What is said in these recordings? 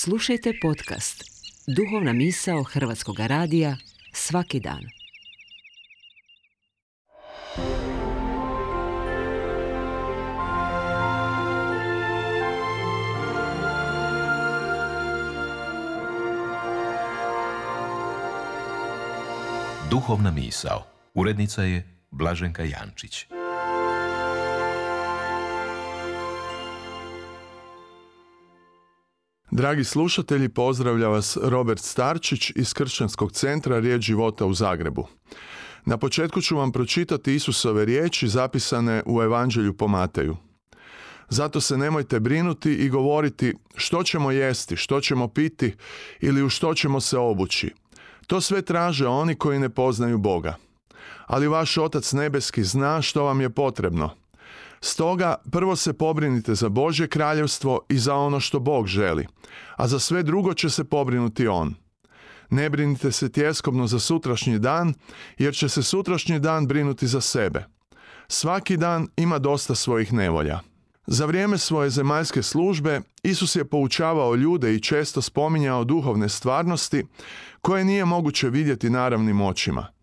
Slušajte podcast Duhovna misao Hrvatskog radija svaki dan. Duhovna misao. Urednica je Blaženka Jančić. Dragi slušatelji, pozdravlja vas Robert Starčić iz Kršćanskog centra Riječ života u Zagrebu. Na početku ću vam pročitati Isusove riječi zapisane u Evanđelju po Mateju. Zato se nemojte brinuti i govoriti što ćemo jesti, što ćemo piti ili u što ćemo se obući. To sve traže oni koji ne poznaju Boga. Ali vaš Otac nebeski zna što vam je potrebno. Stoga prvo se pobrinite za Božje kraljevstvo i za ono što Bog želi, a za sve drugo će se pobrinuti On. Ne brinite se tjeskobno za sutrašnji dan, jer će se sutrašnji dan brinuti za sebe. Svaki dan ima dosta svojih nevolja. Za vrijeme svoje zemaljske službe Isus je poučavao ljude i često spominjao duhovne stvarnosti koje nije moguće vidjeti naravnim očima.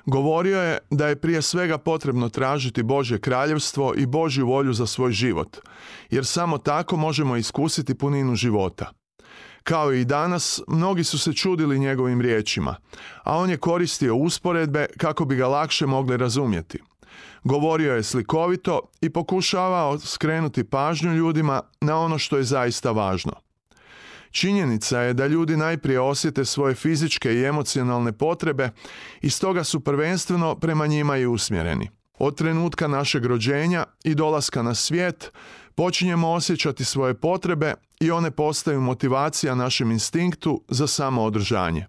Govorio je da je prije svega potrebno tražiti Božje kraljevstvo i Božju volju za svoj život, jer samo tako možemo iskusiti puninu života. Kao i danas, mnogi su se čudili njegovim riječima, a on je koristio usporedbe kako bi ga lakše mogli razumjeti. Govorio je slikovito i pokušavao skrenuti pažnju ljudima na ono što je zaista važno. Činjenica je da ljudi najprije osjete svoje fizičke i emocionalne potrebe i stoga su prvenstveno prema njima i usmjereni. Od trenutka našeg rođenja i dolaska na svijet počinjemo osjećati svoje potrebe i one postaju motivacija našem instinktu za samoodržanje.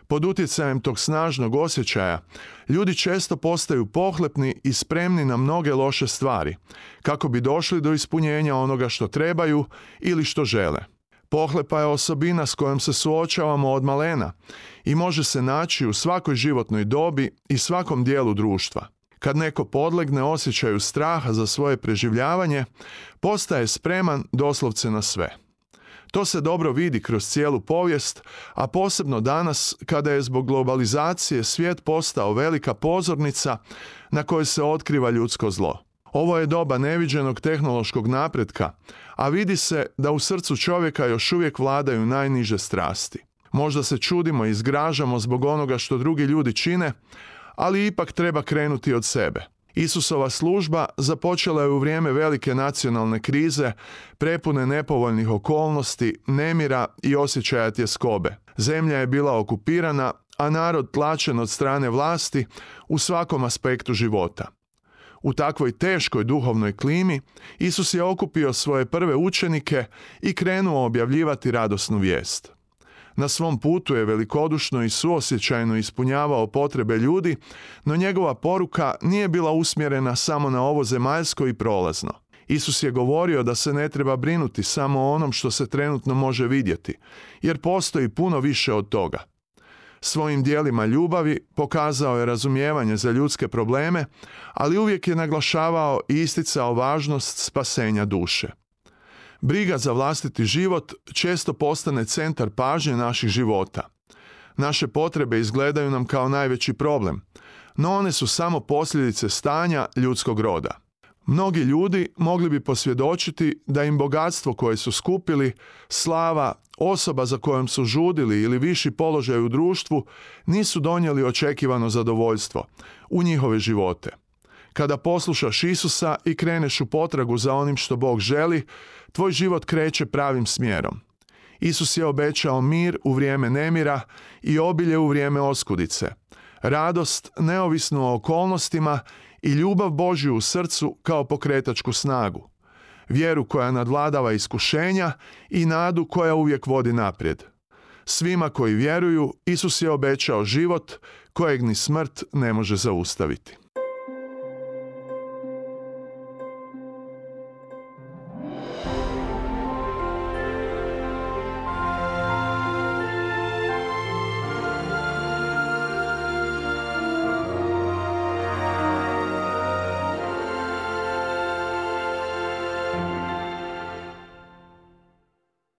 Pod utjecajem tog snažnog osjećaja, ljudi često postaju pohlepni i spremni na mnoge loše stvari, kako bi došli do ispunjenja onoga što trebaju ili što žele. Pohlepa je osobina s kojom se suočavamo od malena i može se naći u svakoj životnoj dobi i svakom dijelu društva. Kad neko podlegne osjećaju straha za svoje preživljavanje, postaje spreman doslovce na sve. To se dobro vidi kroz cijelu povijest, a posebno danas kada je zbog globalizacije svijet postao velika pozornica na kojoj se otkriva ljudsko zlo. Ovo je doba neviđenog tehnološkog napretka, a vidi se da u srcu čovjeka još uvijek vladaju najniže strasti. Možda se čudimo i zgražamo zbog onoga što drugi ljudi čine, ali ipak treba krenuti od sebe. Isusova služba započela je u vrijeme velike nacionalne krize, prepune nepovoljnih okolnosti, nemira i osjećaja tjeskobe. Zemlja je bila okupirana, a narod tlačen od strane vlasti u svakom aspektu života. U takvoj teškoj duhovnoj klimi Isus je okupio svoje prve učenike i krenuo objavljivati radosnu vijest. Na svom putu je velikodušno i suosjećajno ispunjavao potrebe ljudi, no njegova poruka nije bila usmjerena samo na ovo zemaljsko i prolazno. Isus je govorio da se ne treba brinuti samo o onom što se trenutno može vidjeti, jer postoji puno više od toga. Svojim dijelima ljubavi pokazao je razumijevanje za ljudske probleme, ali uvijek je naglašavao i isticao važnost spasenja duše. Briga za vlastiti život često postane centar pažnje naših života. Naše potrebe izgledaju nam kao najveći problem, no one su samo posljedice stanja ljudskog roda. Mnogi ljudi mogli bi posvjedočiti da im bogatstvo koje su skupili, slava, osoba za kojom su žudili ili viši položaj u društvu nisu donijeli očekivano zadovoljstvo u njihove živote. Kada poslušaš Isusa i kreneš u potragu za onim što Bog želi, tvoj život kreće pravim smjerom. Isus je obećao mir u vrijeme nemira i obilje u vrijeme oskudice, radost neovisnu o okolnostima i ljubav Božju u srcu kao pokretačku snagu, vjeru koja nadvladava iskušenja i nadu koja uvijek vodi naprijed. Svima koji vjeruju, Isus je obećao život kojeg ni smrt ne može zaustaviti.